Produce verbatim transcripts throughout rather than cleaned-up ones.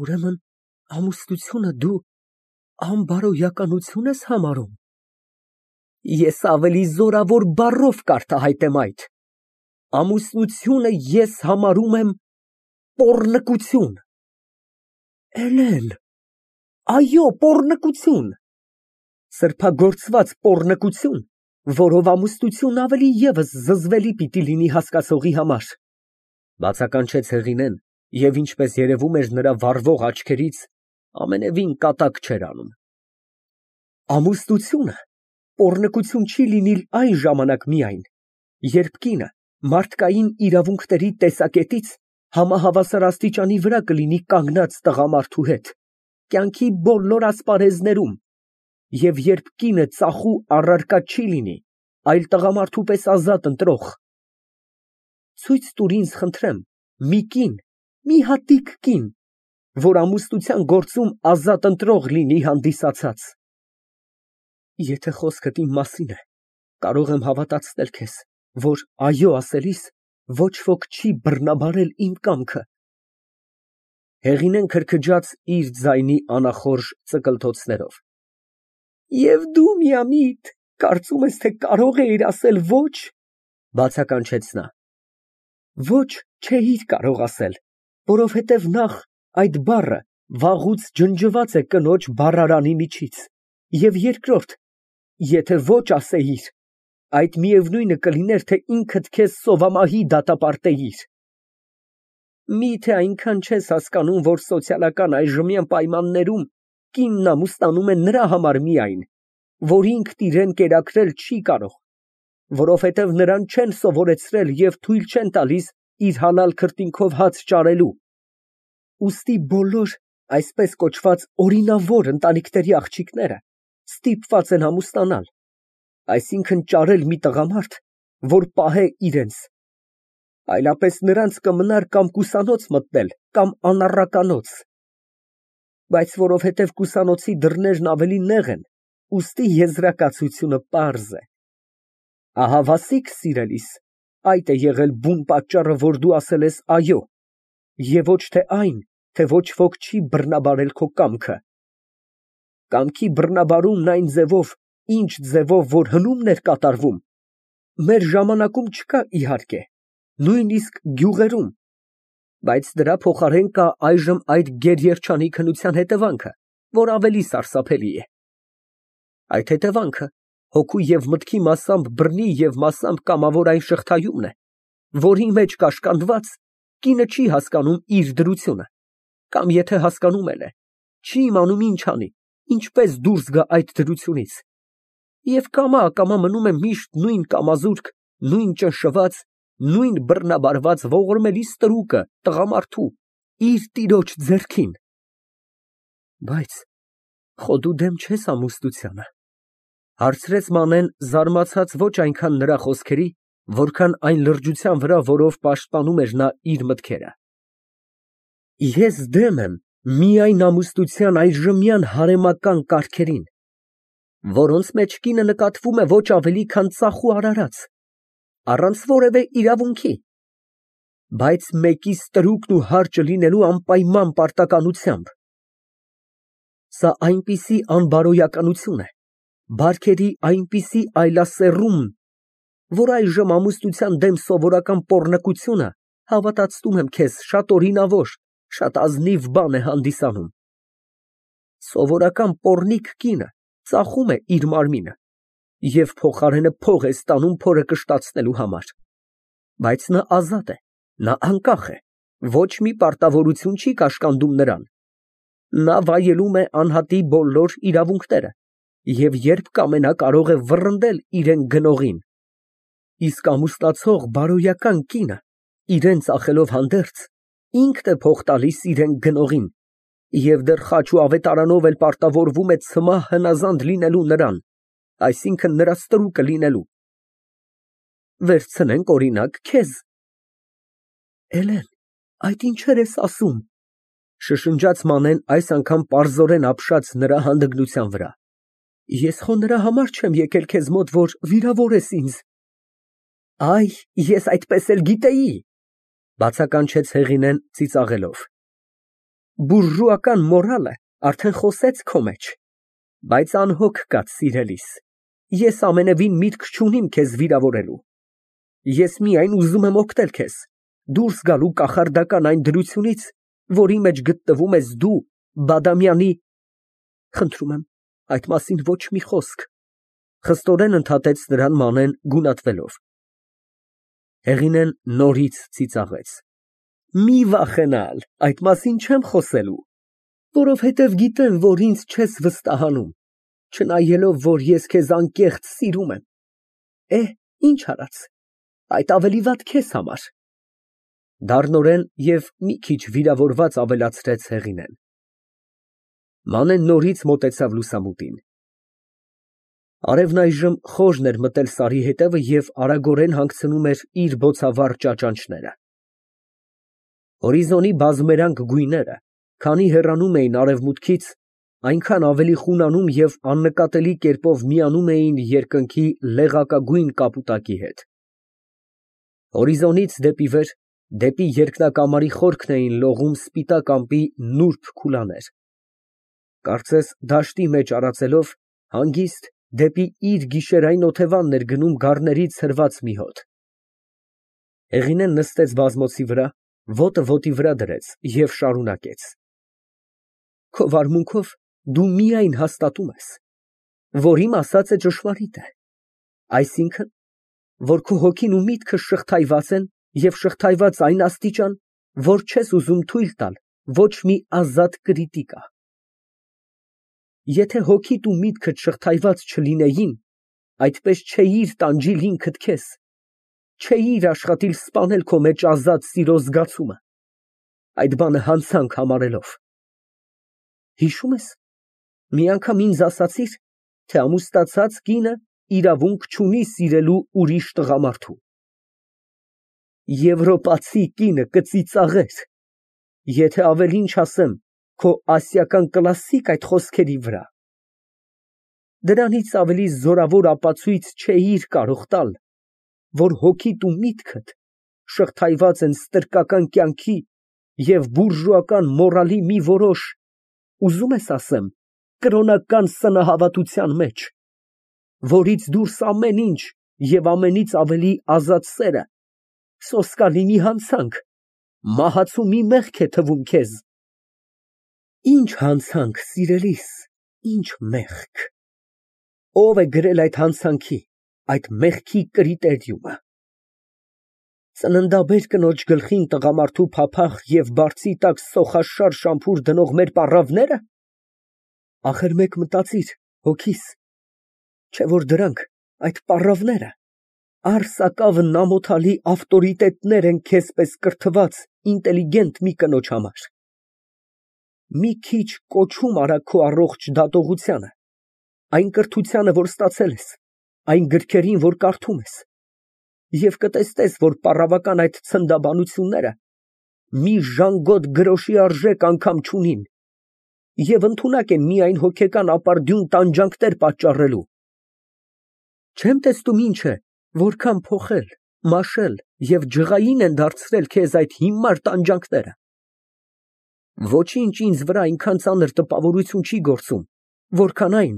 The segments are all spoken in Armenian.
Ուրեմն ամուսնությունը դու անբարոյականություն ես համարում։ Ես ավելի զորավոր բառով կարտահայտեմ այդ. ամուսնությունը ես համարում եմ պոռնկություն։ Էլեն, այո, պոռնկություն, սրբագործված պոռնկություն, որով ամուսնությունն ավելի ևս զզվելի պիտի լինի հասկացողի համար, բացականչեց Հեղինեն, և ինչպես երևում էր նրա վառվող աչքերից, ամենևին կատակ չէր անում։ Ամուսնությունը պոռնկություն չի լինիլ այն ժամանակ միայն, երբ կինը մարդկային իրավունքների տեսակետից համահավասար աստիճանի վրա կլինի կանգնած տղամարդու հետ, կյանքի բոլոր ասպարեզներում, և երբ կինը ծախու առարկա չի լինի, այլ տղամարդու պես ազատ ընտրող։ Ցույց տուր ինձ, խնդրեմ, մի կին, մի հատիկ կին, որ ամուսնության գործում ազատ ընտրող լինի հանդիսացած։ Եթե խոսքդ իմ մասին է, կարող եմ հավատացնել քեզ, որ այո ասելիս ոչ ոք չի բռնաբարել իմ կամքը։ Հեղինեն քրքջաց իր ձայնի անախորժ ծկլթոցներով։ Եվ դու միամիտ կարծում ես, թե կարող էիր ասել ոչ, բացականչեց նա։ Ոչ չէիր կարող ասել, որովհետև նախ այդ բառը վաղուց ջնջված է կնոջ բառարանի միջից, և երկրորդ, եթե ոչ ասեիր, այդ միևնույնը կլիներ, թե ինքդ քեզ սովամահի դատապարտեիր։ Մի՞թե այնքան չես հասկանում, որ սոցիալական այժմյան պայմաններում կինն ամուսնանում է նրա համար միայն, որ ինքն իրան կերակրել չի կարող, որովհետև նրան չեն սովորեցրել և թույլ չեն տալիս իր հալալ քրտինքով հաց ճարելու։ Ուստի բոլոր այսպես կոչված օրինավոր ընտանիքների աղջիկները ստիպված են ամուսնանալ, այսինքն ճարել մի տղամարդ, որ պահե իրենց, այլապես նրանց կմնար կամ կուսանոց մտնել, կամ անառականոց, բայց որովհետև կուսանոցի դռներն ավելի նեղ են, ուստի եզրակացությունը պարզ է։ Ահա, Վասիկ սիրելիս, այդ է եղել բուն պատճառը, որ դու ասել ես այո, և ոչ թե այն, թե ոչ ոք չի բռնաբարել քո կամքը։ Կամքի բռնաբարումն այն ձևով, ինչ ձևով որ հնումն էր կատարվում, մեր ժամանակում չկա, իհարկե, նույնիսկ գյուղերում, բայց դրա փոխարեն կա այժմ այդ գերերջանիկ քննության հետևանքը, որ ավելի սարսափելի է։ Այդ հետևանքը հոգու և մտքի մասամբ բռնի և մասամբ կամավոր այն շղթայումն է, որի մեջ կաշկանդված, կինը չի հասկանում իր դրությունը, կամ եթե հասկանում էլ է, չի իմանում ինչ անի, ինչպես դուրս գա այդ դրությունից, և կամա֊ակամա մնում է միշտ նույն կամազուրկ, նույն ճնշված, նույն բռնաբարված ողորմելի ստրուկը տղամարդու, իր տիրոջ ձեռքին։ Բայց խո դու դեմ չես ամուսնությանը, հարցրեց Մանեն, զարմացած ոչ այնքան նրա խոսքերի, որքան այն լրջության վրա, որով պաշտպանում էր նա իր մտքերը։ Ես դեմ եմ միայն ամուսնության այժմյան հարեմական կարգերին, որոնց մեջ կինը նկատվում է ոչ ավելի, քան ծախու արարած, առանց որևէ իրավունքի, բայց մեկի ստրուկն ու հարճը լինելու անպայման պարտականությամբ։ Սա այնպիսի անբարոյականություն է, բարքերի այնպիսի այլասեռում, որ այժմ ամուսնության դեմ սովորական պոռնկությունը, հավատացնում եմ քեզ, շատ օրինավոր, շատ ազնիվ բան է հանդիսանում։ Սովորական պոռնիկ կինը ծախում է իր մարմինը և փոխարենը փող է ստանում փորը կշտացնելու համար, բայց նա ազատ է, նա անկախ է, ոչ մի պարտավորություն չի կաշկանդում նրան, նա վայելում է անհատի բոլոր իրավունքները և երբ կամենա կարող է վռնդել իրան գնողին, իսկ ամուսնացող բարոյական կինը, իրան ծախելով հանդերձ, ինքն է փող տալիս իրան գնողին և դեռ խաչ ու ավետարանով էլ պարտավորվում է ցմահ հնազանդ լինելու նրան, այսինքն նրա ստրուկը լինելու։ Վերցնենք օրինակ քեզ։ Էլեն, այդ ինչեր ես ասում, շշնջաց Մանեն, այս անգամ պարզորեն ապշած նրա հանդգնության վրա։ Ես խո նրա համար չեմ եկել քեզ մոտ, որ վիրավորես ինձ։ Այ, ես այդպես էլ գիտեի, բացականչեց Հեղինեն ծիծաղելով։ Բուրժուական մորալը արդեն խոսեց քո մեջ, բայց անհոգ կաց, սիրելիս, ես ամենևին միտք չունիմ քեզ վիրավորելու, ես միայն ուզում եմ օգնել քեզ, դուրս գալու կախարդական այն դրությունից, որի մեջ գտնվում ես դու Բադամյանի… Խնդրում եմ, այդ մասին ոչ մի խոսք, խստորեն ընդհատեց նրան Մանեն գունատվելով։ Հեղինեն նորից ծիծաղեց. Մի վախենալ, այդ մասին չեմ խոսելու, որովհետև գիտեմ, որ ինձ չես վստահանում, չնայելով, որ ես քեզ անկեղծ սիրում եմ։ Էհ, ինչ արած, այդ ավելի վատ քեզ համար։ Դառնորեն և մի քիչ վիրավորված ավելացրեց Հեղինեն։ Մանեն նորից մոտեցավ լուսամուտին։ Արևն այժմ խորն էր մտել սարի հետևը և արագորեն հանգցնում էր իր բոցավառ ճաճանճները։ Հորիզոնի բազմերանգ գույները, քանի հեռանում էին արևմուտքից, այնքան ավելի խունանում և աննկատելի կերպով միանում էին երկնքի լեղակագույն կապուտակի հետ։ Հորիզոնից դեպի վեր, դեպի երկնակամարի խորքն էին լողում սպիտակ ամպի նուրբ քուլաներ, կարծես դաշտի մեջ արածելով, հանգիստ դեպի իր գիշերային օթևանն էր գնում գառներից հրված մի հոտ։ Հեղինեն նստեց բազմոցի վրա, ոտը ոտի վրա դրեց և շարունակեց. Քո վարմունքով դու միայն հաստատում ես, որ իմ ասածը ճշմարիտ է, այսինքն, որ քո հոգին ու միտքը շղթայված են և շղթայված այն աստիճան, որ չես ուզում թույլ տալ ոչ մի ազատ կրիտիկա։ Եթե հոգիդ ու միտքդ շղթայված չլինեին, այդպես չէիր տանջիլ ինքդ քեզ, չէիր աշխատիլ սպանել քո մեջ ազատ սիրո զգացումը, այդ բանը հանցանք համարելով։ Հիշո՞ւմ ես, մի անգամ ինձ ասացիր, թե ամուսնացած կինը իրավունք չունի սիրելու ուրիշ տղամարդու։ Եվրոպացի կինը կծիծաղեր, եթե ավելին չասեմ, քո ասիական կլասիկ այդ խոսքերի վրա։ Դրանից ավելի զորավոր ապացույց չէիր կարող տալ, որ հոգիդ ու միտքդ շղթայված են ստրկական կյանքի և բուրժուական մորալի մի որոշ, ուզում ես ասեմ, կրոնական սնահավատության մեջ, որից դուրս ամեն ինչ և ամենից ավելի ազատ սերը, սոսկալի մի հանցանք, մահացու մի մեղք է թվում քեզ։ Ինչ հանցանք, սիրելիս, ինչ մեղք։ Ո՞վ է գրել այդ հանցանքի, այդ մեղքի կրիտերիումը։ Ծննդաբեր կնոջ գլխին տղամարդու փափախ և բարձի տակ սոխաշար շամփուր դնող մեր պառավնե՞րը։ Ախր մեկ մտածիր, հոգիս, չէ՞ որ դրանք, այդ պառավները, արձակավն ամոթալի ավտորիտետներ են քեզ պես կրթված, ինտելիգենտ մի կնոջ համար։ Մի քիչ կոչում արա քո առողջ դատողությանը, այն կրթությանը, որ ստացել ես, այն գրքերին, որ կարդում ես, և կտեսնես, որ պառավական այդ ցնդաբանությունները մի ժանգոտ գրոշի արժեք անգամ չունին և ընդունակ են միայն հոգեկան ապարդյուն տանջանքներ պատճառելու։ Չեմ տեսնում ինչ է, որքան փոխել, մաշել և ջղային են դարձրել քեզ այդ հիմար տանջանքները։ Ոչինչ ինձ վրա այնքան ծանր տպավորություն չի գործում, որքան այն,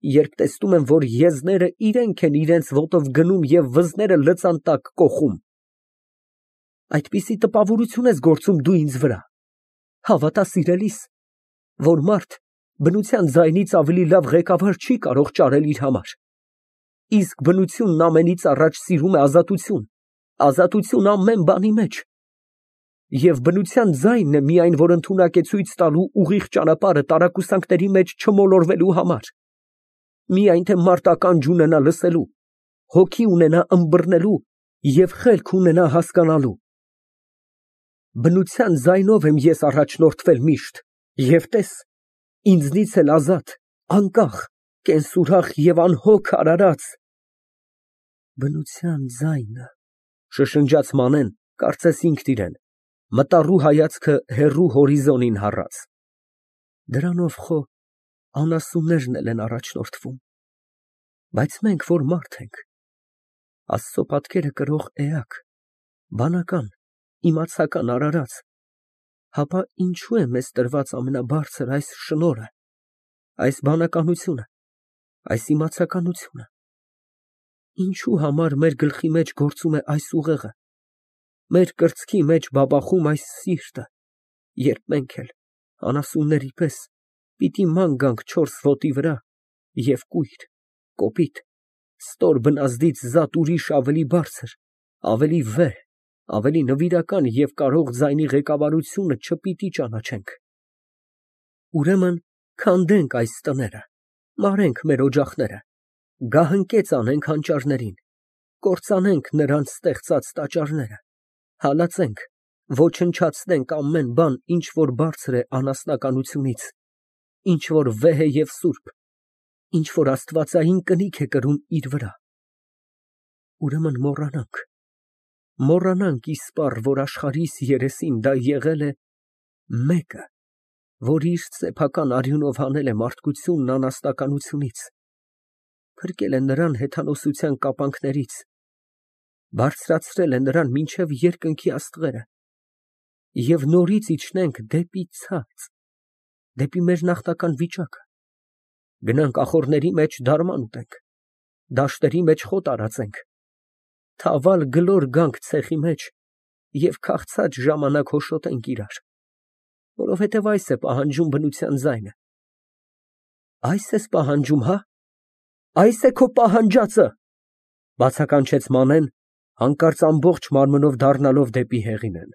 երբ տեսնում եմ, որ եզները իրենք են իրենց ոտով գնում և վզները լծան տակ կոխում։ Այդպիսի տպավորություն ես գործում դու ինձ վրա, հավատա, սիրելիս, որ մարդ բնության ձայնից ավելի լավ ղեկավար չի կարող ճարել իր համար, իսկ բնությունն ամենից առաջ սիրում է ազատություն, ազատություն ամեն բանի մեջ, և բնության ձայնն է միայն, որ ընդունակ է ցույց տալու ուղիղ ճանապարհը տարակուսանքների մեջ չմոլորվելու համար, միայն թե մարդ ականջ ունենա լսելու, հոգի ունենա ըմբռնելու և խելք ունենա հասկանալու։ Բնության ձայնով եմ ես առաջնորդվել միշտ, և տես, ինձնից էլ ազատ, անկախ, կենսուրախ և անհոգ արարած… Բնության ձայնը… շշնջաց Մանեն, կարծես ինքն իրեն, մտառու հայացքը հեռու հորիզոնին հառած։ Դրանով խո անասուններն էլ են առաջնորդվում, բայց մենք որ մարդ ենք, Աստծո պատկերը կրող էակ, բանական, իմացական արարած, Հապա ինչու է մեզ տրված ամենաբարձր այս շնորհը, այս բանականությունը, այս իմացականությունը։ Ինչու համար մեր գլխի մեջ գործում է այս ուղեղը, մեր կրծքի մեջ բաբախում այս սիրտը, երբ մենք էլ անասունների պես պիտի ման գանք չորս ոտի վրա և կույր, կոպիտ, ստոր բնազդից զատ ուրիշ ավելի բարձր, ավելի վեհ, ավելի նվիրական և կարող ձայնի ղեկավարությունը չպիտի ճանաչենք։ Ուրեմն քանդենք այս տները, մարենք մեր օջախները, գահընկեց անենք հանճարներին, կործանենք նրանց ստեղծած տաճարները, հալածենք, ոչնչացնենք ամեն բան, ինչ որ բարձր է անասնականությունից, ինչ որ վեհ է և սուրբ, ինչ որ աստվածային կնիք է կրում իր վրա։ Ուրեմն մոռանանք, մոռանանք իսպառ, որ աշխարհիս երեսին դա եղել է մեկը, որ իր սեփական արյունով հանել է մարդկությունն անաստականությունից, փրկել է նրան հեթանոսության կապանքներից, բարձրացրել է նրան մինչև երկնքի աստղերը, և նորից իջնենք դեպի ցած, դեպի մեր նախնական վիճակը, գնանք ախոռների մեջ դարման ուտենք, դաշտերի մեջ խոտ արածենք, թավալ գլոր գանք ցեխի մեջ և քաղցած ժամանակ հոշոտենք իրար, որովհետև այս է պահանջում բնության ձայնը։ Այս ես պահանջում, հա՞։ Այս է քո պահանջածը, բացականչեց Մանեն, հանկարծ ամբողջ մարմնով դառնալով դեպի Հեղինեն։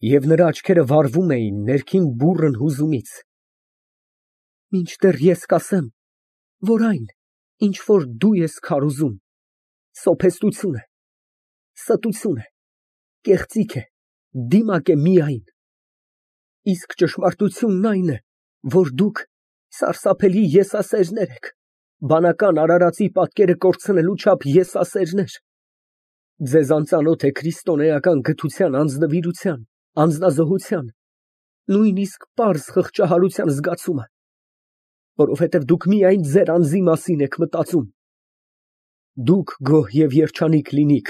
Եվ նրա աչքերը վառվում էին ներքին բուռն հուզումից։ Մինչդեռ ես կասեմ, որ այն, ինչ որ դու ես քարոզում, սոփեստություն է, ստություն է, կեղծիք է, դիմակ է միայն, իսկ ճշմարտությունն այն է, որ դուք սարսափելի եսասերներ եք, բանական արարածի պատկերը կորցնելու չափ եսասերներ։ Ձեզ անծանոթ է քրիստոնեական գթության անձնվիրության, անձնազոհության, նույնիսկ պարզ խղճահարության զգացումը, որովհետև դուք միայն ձեր անձի մասին եք մտածում։ Դուք գոհ և երջանիկ լինիք,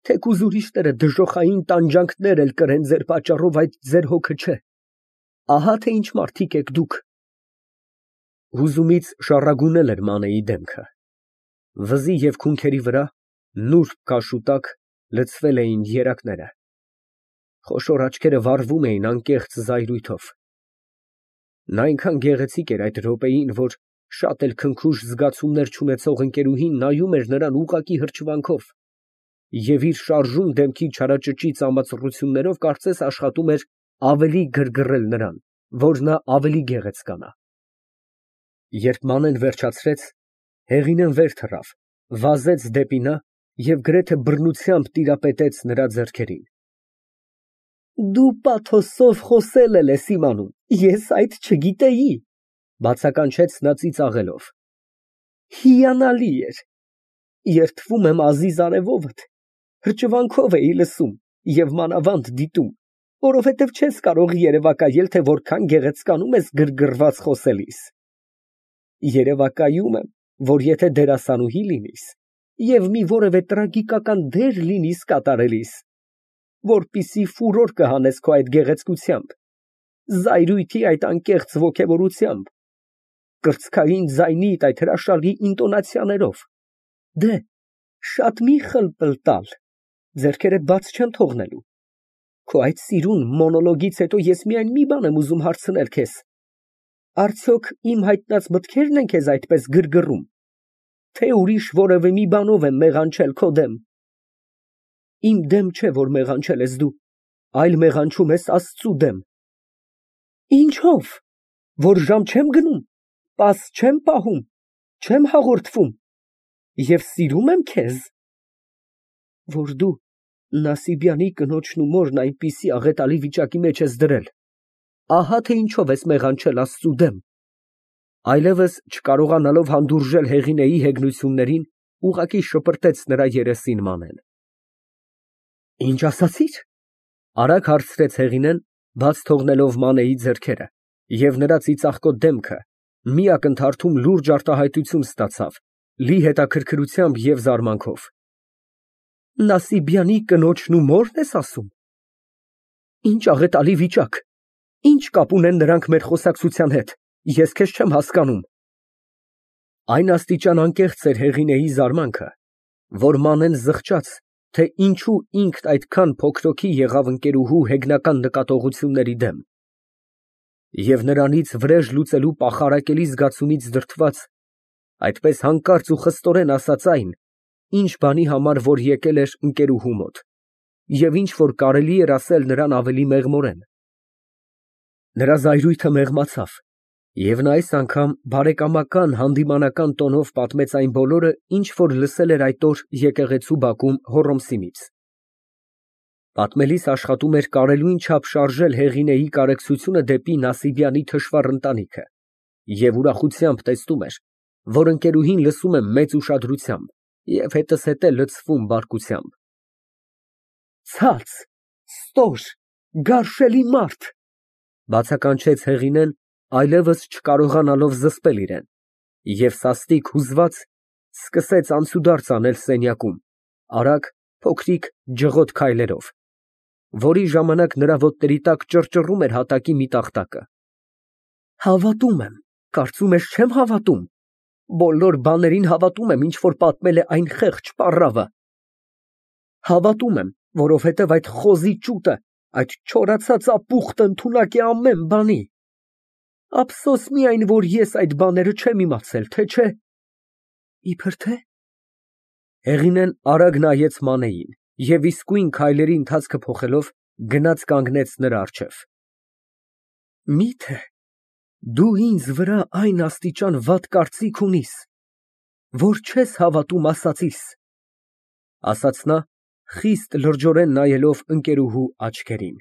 թեկուզ ուրիշները դժոխային տանջանքներ էլ կրեն ձեր պատճառով, այդ ձեր հոգը չէ։ Ահա թե ինչ մարդիկ եք դուք։ Հուզումից շառագունել էր Մանեի դեմքը։ Վզի և քունքերի վրա, նուրբ կաշու տակ, լցվել էին երակները։ Խոշոր աչքերը վառվում էին անկեղծ զայրույթով։ Նա այնքան գեղեցիկ էր այդ րոպեին, որ շատ էլ քնքուշ զգացումներ չունեցող ընկերուհին նայում էր նրան ուղղակի հրճվանքով և իր շարժուն դեմքի չարաճճի ծամածռություններով կարծես աշխատում էր ավելի գրգռել նրան, որ նա ավելի գեղեցկանա։ Երբ Մանեն վերջացրեց, Հեղինեն վեր թռավ, վազեց դեպի նա և գրեթե բռնությամբ տիրապետեց նրա ձեռքերին։ Դու պաթոսով խոսել էլ ես իմանում, ես այդ չգիտեի, բացականչեց նա ծիծաղելով։ Հիանալի էր։ Երդվում եմ ազիզ արևովդ, հրճվանքով էի լսում և մանավանդ դիտում, որովհետև չես կարող երևակայել, թե որքան գեղեցկանում ես գրգռված խոսելիս։ Երևակայում եմ, որ եթե դերասանուհի լինիս և մի որևէ տրագիկական դեր լինիս կատարելիս, որպիսի ֆուրոր կհանես քո այդ գեղեցկությամբ, զայրույթի այդ անկեղծ ոգևորությամբ, կրծքային ձայնիդ այդ հրաշալի ինտոնացիաներով, դե, շատ մի խլպլտալ, ձեռքերդ բաց չեմ թողնելու։ Քո այդ սիրուն մոնոլոգից հետո ես միայն մի բան եմ ուզում հարցնել քեզ. արդյոք իմ հայտնած մտքե՞րն են քեզ այդպես գրգռում, թե ուրիշ որևէ մի բանով եմ մեղանչել քո դեմ։ Իմ դեմ չէ, որ մեղանչել ես դու, այլ մեղանչում ես Աստծու դեմ։ Ինչո՞վ, որ ժամ չեմ գնում, պաս չեմ պահում, չեմ հաղորդվում և սիրում եմ քեզ, որ դու Նասիբյանի կնոջն ու մորն այնպիսի աղետալի վիճակի մեջ ես դրել, ահա թե ինչով ես մեղանչել Աստծու դեմ։ Այլևս չկարողանալով հանդուրժել Հեղինեի հեգնություններին, ուղղակի շպրտեց նրա երեսին Մանեն։ Ինչ ասացի՞ր, արագ հարցրեց Հեղինեն, բաց թողնելով Մանեի ձեռքերը, և նրա ծիծաղկոտ դեմքը մի ակնթարթում լուրջ արտահայտություն ստացավ, լի հետաքրքրությամբ և զարմանքով։ Նասիբյանի կնոջն ու մո՞րն ես ասում։ Ինչ աղետալի վիճակ, ինչ կապ ունեն նրանք մեր խոսակցության հետ, ես քեզ չեմ հասկանում։ Այն աստիճան անկեղծ էր Հեղինեի զարմանքը, որ Մանեն զղջաց, թե ինչու ինքն այդքան փոքրոքի եղավ ընկերուհու հեգնական նկատողությունների դեմ։ Եվ նրանից վրեժ լուծելու պախարակելի զգացումից դրդված, այդպես հանկարծ ու խստորեն ասաց այն, ինչ բանի համար որ եկել էր ընկերուհու մոտ, և ինչ որ կարելի էր ասել նրան ավելի մեղմորեն։ Նրա զայրույթը մեղմացավ, և նա այս անգամ բարեկամական հանդիմանական տոնով պատմեց այն բոլորը, ինչ որ լսել էր այդ օր եկեղեցու բակում Հոռոմսիմից։ Պատմելիս աշխատում էր կարելույն չափ շարժել Հեղինեի կարեկցությունը դեպի Նասիբյանի թշվառ ընտանիքը և ուրախությամբ տեսնում էր, որ ընկերուհին լսում է մեծ ուշադրությամբ և հետզհետե լցվում բարկությամբ։ Ցած, ստոր, գարշելի մարդ, բացականչեց Հեղինեն, այլևս չկարողանալով զսպել իրեն, և սաստիկ հուզված սկսեց անցուդարձ անել սենյակում, արագ, փոքրիկ, ջղոտ քայլերով, որի ժամանակ նրա ոտների տակ ճռճռում էր հատակի մի տախտակը։ Հավատում եմ, կարծում ես չեմ հավատում, բոլոր բաներին հավատում եմ, ինչ որ պատմել է այն խեղճ պառավը։ Հավատում եմ, որովհետև այդ խոզի ճուտը, այդ չորացած ապուխտը ընդունակ է ամեն բանի։ Ափսոս միայն, որ ես այդ բաները չեմ իմացել, թե չէ… Իբր թե… Հեղինեն արագ նայեց Մանեին և իսկույն քայլերի ընթացքը փոխելով, գնաց կանգնեց նրա առջև։ Մի՞թե դու ինձ վրա այն աստիճան վատ կարծիք ունիս, որ չես հավատում ասածիս, ասաց նա, խիստ լրջորեն նայելով ընկերուհու աչքերին։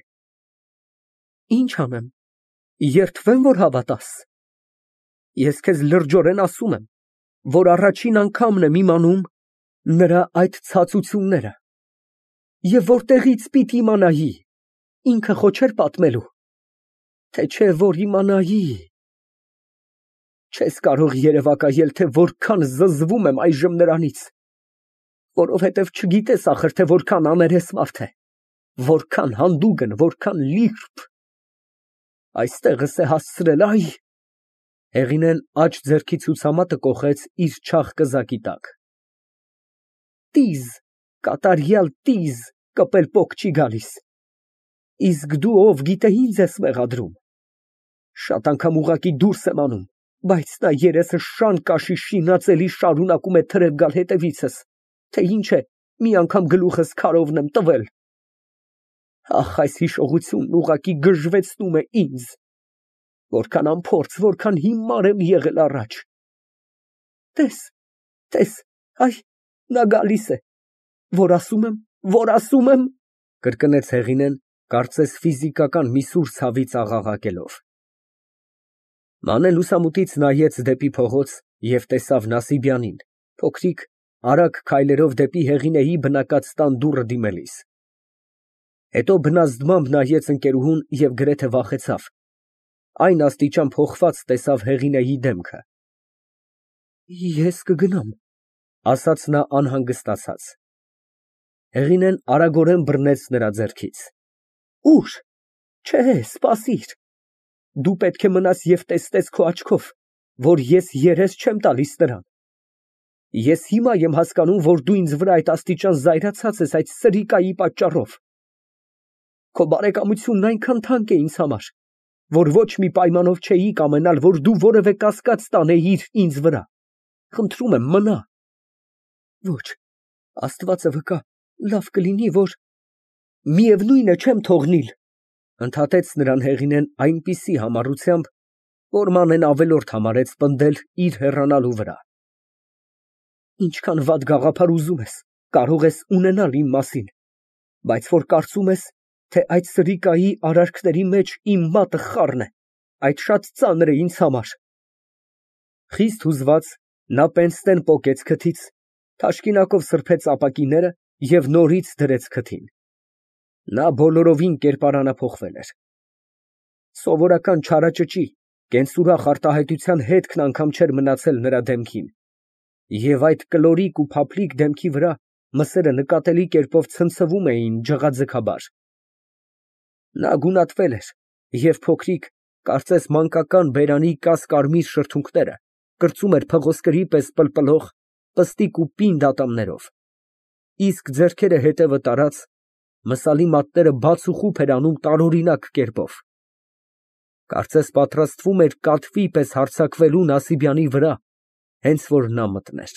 Ինչ անեմ, երդվե՞մ, որ հավատաս։ Ես քեզ լրջորեն ասում եմ, որ առաջին անգամն եմ իմանում նրա այդ ցածությունները, և որտեղի՞ց պիտի իմանայի, ինքը խո չէր պատմելու, թե չէ որ իմանայի… Չես կարող երևակայել, թե որքան զզվում եմ այժմ նրանից, որովհետև չգիտես ախր, թե որքան աներես մարդ է, որքան հանդուգն, որքան լիրբ… Այստեղս է հասցրել, ա՜յ… Հեղինեն աջ ձեռքի ցուցամատը կոխեց իր չաղ կզակի տակ։ Տիզ, կատարյալ տիզ, կպել պոկ չի գալիս, իսկ դու ով գիտե ինձ ես մեղադրում… Շատ անգամ ուղղակի դուրս եմ անում, բայց նա երեսը շան կաշի շինածելի շարունակում է թրև գալ հետևիցս, թե ինչ է, մի անգամ գլուխս քարովն եմ տվել… Ախ, այս հիշողությունն ուղղակի գժվեցնում է ինձ… Որքան անփորձ, որքան հիմար եմ եղել առաջ… Տես, տես, այ, նա գալիս է… Որ ասում եմ, որ ասում եմ… կրկնեց Հեղինեն, կարծես ֆիզիկական մի սուր ցավից աղաղակելով։ Մանեն լուսամուտից նայեց դեպի փողոց և տեսավ Նասիբյանին, փոքրիկ, արագ քայլերով դեպի Հեղինեի բնակած տան դուռը դիմելիս։ Հետո բնազդմամբ նայեց ընկերուհուն և գրեթե վախեցավ, այն աստիճան փոխված տեսավ Հեղինեի դեմքը։ Ես կգնամ, ասաց նա անհանգստացած։ Հեղինեն արագորեն բռնեց նրա ձեռքից։ Ուր… Չէ, սպասիր… Դու պետք է մնաս և տեսնես քո աչքով, որ ես երես չեմ տալիս նրան… Ես հիմա եմ հասկանում, որ դու ինձ վրա այդ աստիճան զայրացած ես այդ սրիկայի պատճառով… Քո բարեկամությունն այնքան թանկ է ինձ համար, որ ոչ մի պայմանով չէի կամենալ, որ դու որևէ կասկած տանեիր ինձ վրա… Խնդրում եմ, մնա… Ոչ, Աստվածը վկա, լավ կլինի, որ… Միևնույն է, չեմ թողնիլ… Ընդհատեց նրան Հեղինեն այնպիսի համառությամբ, որ Մանեն ավելորդ համարեց պնդել իր հեռանալու վրա։ Ինչքան վատ գաղափար ուզում ես, կարող ես ունենալ իմ մասին, բայց որ կարծում ես, թե այդ սրիկայի արարքների մեջ իմ մատը խառն է, այդ շատ ծանր է ինձ համար… Խիստ հուզված, նա պենսնեն պոկեց քթից, թաշկինակով սրբեց ապակիները և նորից դրեց քթին։ Նա բոլորովին կերպարանափոխվել էր։ Սովորական չարաճճի, կենսուրախ արտահայտության հետքն անգամ չէր մնացել նրա դեմքին, և այդ կլորիկ ու փափլիկ դեմքի վրա մսերը նկատելի կերպով ցնցվում էին ջղաձգաբար։ Նա գունատվել էր և փոքրիկ, կարծես մանկական բերանի կաս֊կարմիր շրթունքները կրծում էր փղոսկրի պես պլպլող պստիկ ու պինդ ատամներով, իսկ ձեռքերը հետևը տարած, մսալի մատները բաց ու խուփ էր անում տարօրինակ կերպով, կարծես պատրաստվում էր կատվի պես հարձակվելու Նասիբյանի վրա, հենց որ նա մտներ։